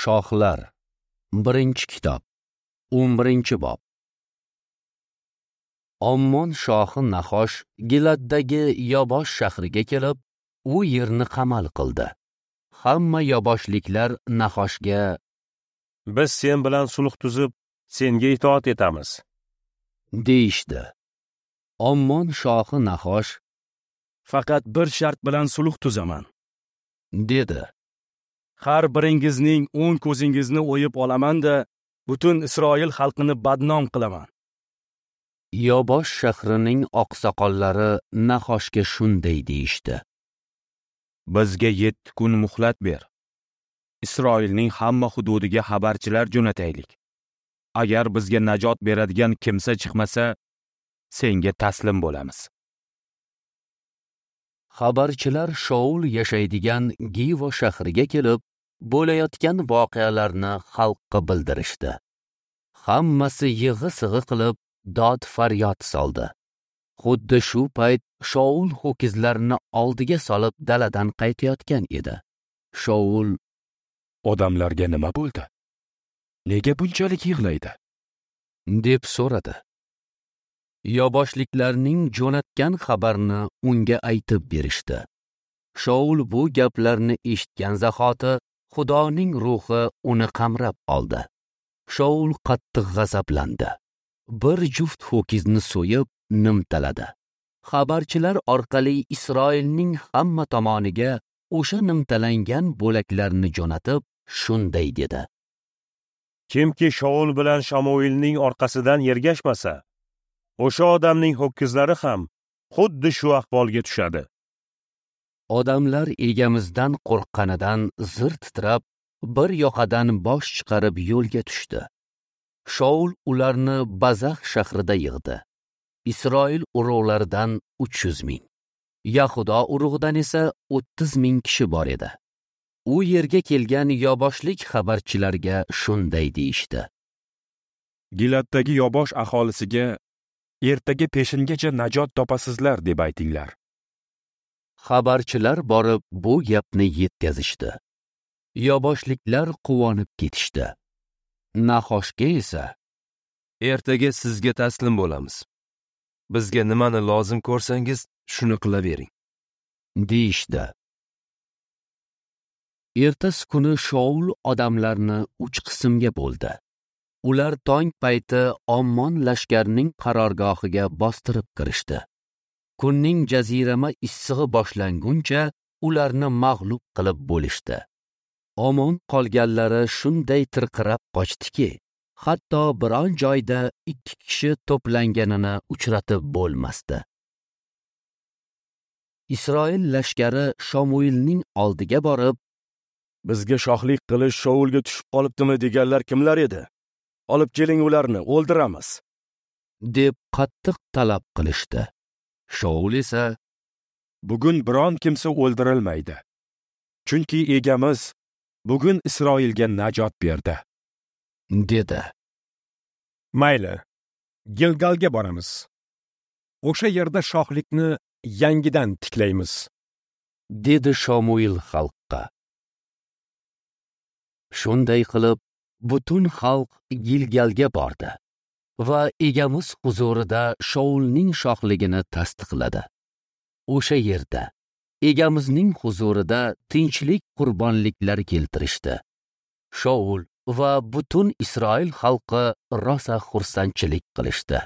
Shohlar, 1-kitob, 11-bob. Ommon shohi Nahosh Giladdagi Yobosh shahriga kelib, u yerni qamal qildi. Hamma yoboshliklar Nahoshga: "Biz sen bilan sulh tuzib, senga itoat etamiz", deyishdi. Ommon shohi Nahosh: "Faqat bir shart bilan sulh tuzaman", dedi. "Har biringizning 10 ko'zingizni o'yib olaman-da, butun Isroil xalqini badnom qilaman." Yobosh shahrining oqsoqollari Nahoshga shunday deyishdi: "Bizga 7 kun muhlat ber. Isroilning hamma hududiga xabarchilar jo'nataylik. Agar bizga najot beradigan kimsa chiqmasa, senga taslim bo'lamiz." Xabarchilar Shaul yashaydigan Givo shahriga kelib, bo'layotgan voqealarni xalqqa bildirishdi. Hammasi yig'i-sig'i qilib dod faryod soldi. Xuddi shu payt Shaul ho'kizlarini oldiga solib daladan qaytayotgan edi. Shaul: "Odamlarga nima bo'ldi? Nega bunchalik yig'laydi?" deb so'radi. Yoboshliklarning jo'natgan xabarni unga aytib berishdi. Shaul bu gaplarni eshitgan zahoti Xudoning ruhi uni qamrab oldi. Shaul qattiq g'azablandi. Bir juft ho'kizni so'yib nimtaladi. Xabarchilar orqali Isroilning hamma tomoniga o'sha nimtalangan bo'laklarni jo'natib, shunday dedi: "Kimki Shaul bilan Shamuilning orqasidan ergashmasa, o'sha odamning ho'kizlari ham xuddi shu ahvolga tushadi." Odamlar egamizdan qo'rqqanidan zir titrab, bir yoqadan bosh chiqarib yo'lga tushdi. Shaul ularni Bazax shahrida yig'di. Isroil urug'laridan 300 ming, Yahudo urug'idan esa 30 ming kishi bor edi. U yerga kelgan yoboshlik xabarchilarga shunday deyishdi: "Giladdagi Yobosh aholisiga ertaga peshingacha najot topasizlar deb aytinglar." Xabarchilar borib bu gapni yetkazishdi. Yoboshliklar quvonib ketishdi. Nahoshga esa: "Ertaga sizga taslim bo'lamiz. Bizga nimani lozim ko'rsangiz, shuni qilavering", deyishdi. Ertasi kuni Shaul odamlarni 3 qismga bo'ldi. Ular tong payti Ommon lashkarining qarorgohiga bostirib kirishdi. Kunning jazirama issig'i boshlanguncha ularni mag'lub qilib bo'lishdi. Omon qolganlari shunday tirqirab qochdiki, hatto biron joyda 2 kishi to'planganini uchratib bo'lmasdi. Isroil lashkari Shamuilning oldiga borib, "Bizga shohlik qilish Shaulga tushib qolibdimi deganlar kimlar edi? Olib keling ularni, o'ldiramiz", deb qattiq talab qilishdi. Shaul esa: "Bugun biron kimsa o'ldirilmaydi. Chunki egamiz bugun Isroilga najot berdi", dedi. "Mayli, Gilgalga boramiz. O'sha yerda shohlikni yangidan tiklaymiz", dedi Shamuil xalqqa. Shunday qilib, butun xalq Gilgalga bordi va egamiz huzurida Shaulning shohligini tasdiqladi. O'sha yerda egamizning huzurida tinchlik qurbonliklari keltirishdi. Shaul va butun Isroil xalqi rosa xursandchilik qilishdi.